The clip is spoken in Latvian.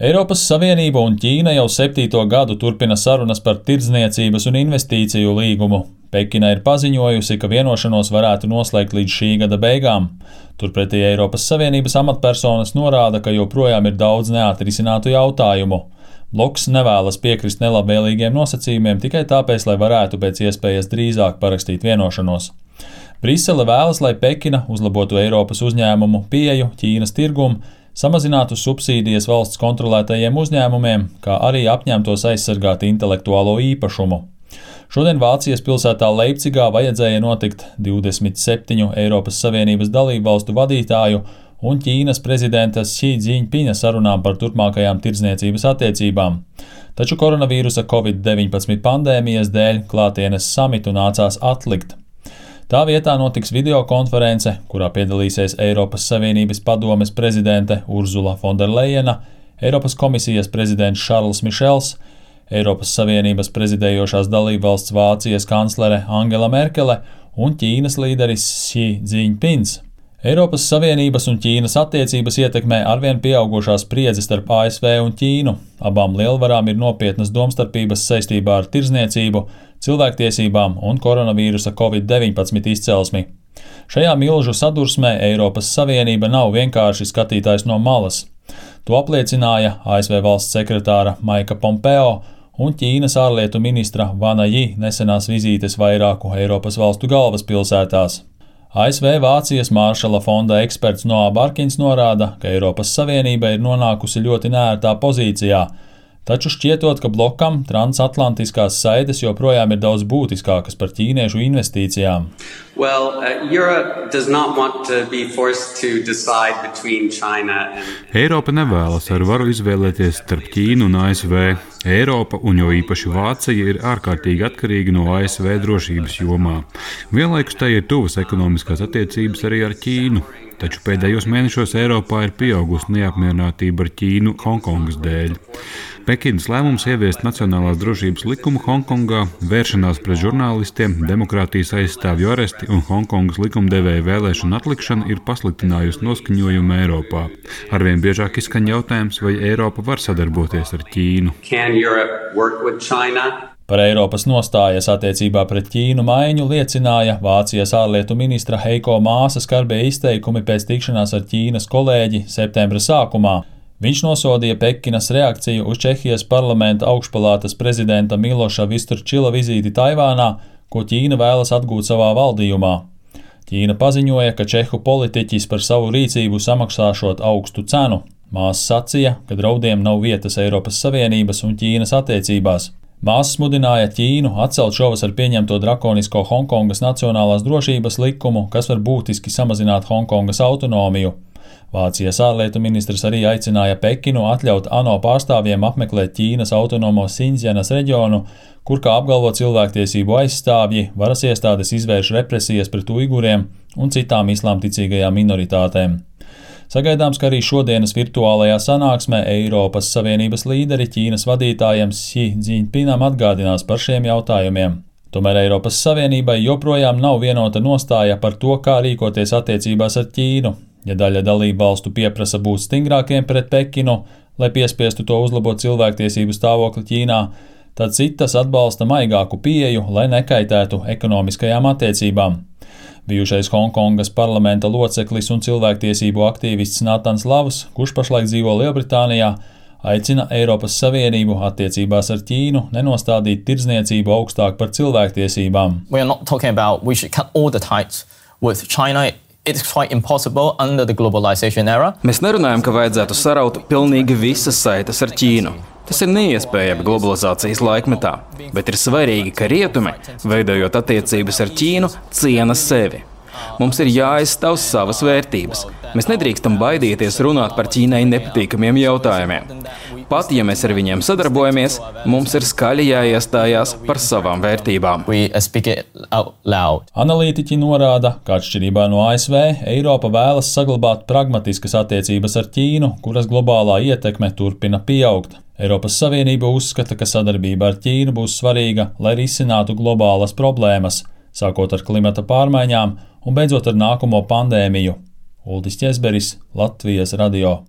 Eiropas Savienība un Ķīna jau 7. gadu turpina sarunas par tirdzniecības un investīciju līgumu. Pekina ir paziņojusi, ka vienošanos varētu noslēgt līdz šī gada beigām. Turpretī Eiropas Savienības amatpersonas norāda, ka joprojām ir daudz neatrisinātu jautājumu. Bloks nevēlas piekrist nelabvēlīgiem nosacījumiem tikai tāpēc, lai varētu pēc iespējas drīzāk parakstīt vienošanos. Brisele vēlas, lai Pekina uzlabotu Eiropas uzņēmumu pieeju Ķīnas tirgumu, samazinātu subsīdijas valsts kontrolētajiem uzņēmumiem, kā arī apņemtos aizsargāt intelektuālo īpašumu. Šodien Vācijas pilsētā Leipcigā vajadzēja notikt 27 Eiropas Savienības dalībvalstu vadītāju un Ķīnas prezidenta Xi Jinpinga sarunām par turpmākajām tirdzniecības attiecībām. Taču koronavīrusa Covid-19 pandēmijas dēļ klātienes samitu nācās atlikt. Tā vietā notiks videokonference, kurā piedalīsies Eiropas Savienības padomes prezidente Ursula Fonderlejena, Eiropas komisijas prezidents Šarls Mišels, Eiropas Savienības prezidējošās dalībvalsts Vācijas kanclere Angela Merkele un Ķīnas līderis Xi Jinpings. Eiropas Savienības un Ķīnas attiecības ietekmē arvien pieaugušās spriedzi starp ASV un Ķīnu. Abām lielvarām ir nopietnas domstarpības saistībā ar tirdzniecību, cilvēktiesībām un koronavīrusa Covid-19 izcelsmi. Šajā milžu sadursmē Eiropas Savienība nav vienkārši skatītājs no malas. To apliecināja ASV valsts sekretāra Maika Pompeo un Ķīnas ārlietu ministra Vana Ji nesenās vizītes vairāku Eiropas valstu galvaspilsētās. ASV Vācijas Māršala fonda eksperts Noā Barkins norāda, ka Eiropas Savienība ir nonākusi ļoti neērtā pozīcijā, taču šķietot, ka blokam transatlantiskās saites joprojām ir daudz būtiskākas par ķīniešu investīcijām. Eiropa nevēlas ar varu izvēlēties starp Ķīnu un ASV. Eiropa, un jo īpaši Vācija, ir ārkārtīgi atkarīga no ASV drošības jomā. Vienlaikus tai ir tuvas ekonomiskās attiecības arī ar Ķīnu. Taču pēdējos mēnešos Eiropā ir pieaugusi neapmierinātība ar Ķīnu Hongkongas dēļ. Pekinas lēmums ieviest nacionālās drošības likumu Hongkongā, vēršanās pret žurnālistiem, demokrātijas aizstāvju aresti un Hongkongas likumdevēja vēlēšanu atlikšana ir pasliktinājusi noskaņojumu Eiropā. Arvien biežāk izskan jautājums, vai Eiropa var sadarboties ar Ķīnu. Par Eiropas nostājas attiecībā pret Ķīnu maiņu liecināja Vācijas ārlietu ministra Heiko Māsa skarbie izteikumi pēc tikšanās ar Ķīnas kolēģi septembra sākumā. Viņš nosodīja Pekinas reakciju uz Čehijas parlamenta augšpalātas prezidenta Miloša Visturčila vizīti Taivānā, ko Ķīna vēlas atgūt savā valdījumā. Ķīna paziņoja, ka čehu politiķis par savu rīcību samaksāšot augstu cenu. Māsa sacīja, ka draudiem nav vietas Eiropas Savienības un Ķīnas attiecībās. Māsa smudināja Ķīnu atcelt šovasar pieņemto drakonisko Hongkongas nacionālās drošības likumu, kas var būtiski samazināt Hongkongas autonomiju. Vācijas ārlietu ministrs arī aicināja Pekinu atļaut ANO pārstāvjiem apmeklēt Ķīnas autonomo Sindzjanas reģionu, kur, kā apgalvo cilvēktiesību aizstāvji, varas iestādes izvērš represijas pret uiguriem un citām islāmticīgajām minoritātēm. Sagaidāms, ka arī šodienas virtuālajā sanāksmē Eiropas Savienības līderi Ķīnas vadītājiem Xi Jinpingam atgādinās par šiem jautājumiem. Tomēr Eiropas Savienībai joprojām nav vienota nostāja par to, kā rīkoties attiecībās ar Ķīnu. Ja daļa dalību valstu pieprasa būt stingrākiem pret Pekinu, lai piespiestu to uzlabot cilvēktiesību stāvokli Ķīnā, tad citas atbalsta maigāku pieeju, lai nekaitētu ekonomiskajām attiecībām. Bijušais Hongkongas parlamenta loceklis un cilvēktiesību aktīvists Natans Lavs, kurš pašlaik dzīvo Lielbritānijā, aicina Eiropas Savienību attiecībās ar Ķīnu nenostādīt tirdzniecību augstāk par cilvēktiesībām. Mēs nerunājam, ka vajadzētu saraut pilnīgi visas saites ar Ķīnu. Tas ir neiespējami globalizācijas laikmetā, bet ir svarīgi, ka rietumi, veidojot attiecības ar Ķīnu, ciena sevi. Mums ir jāaizstāv savas vērtības. Mēs nedrīkstam baidīties runāt par Ķīnai nepatīkamiem jautājumiem. Pat, ja mēs ar viņiem sadarbojamies, mums ir skaļi jāiestājās par savām vērtībām. Analītiķi norāda, ka atšķirībā no ASV, Eiropa vēlas saglabāt pragmatiskas attiecības ar Ķīnu, kuras globālā ietekme turpina pieaugt. Eiropas Savienība uzskata, ka sadarbība ar Ķīnu būs svarīga, lai risinātu globālas problēmas, sākot ar klimata pārmaiņām un beidzot ar nākamo pandēmiju. Uldis Ķezberis, Latvijas radio.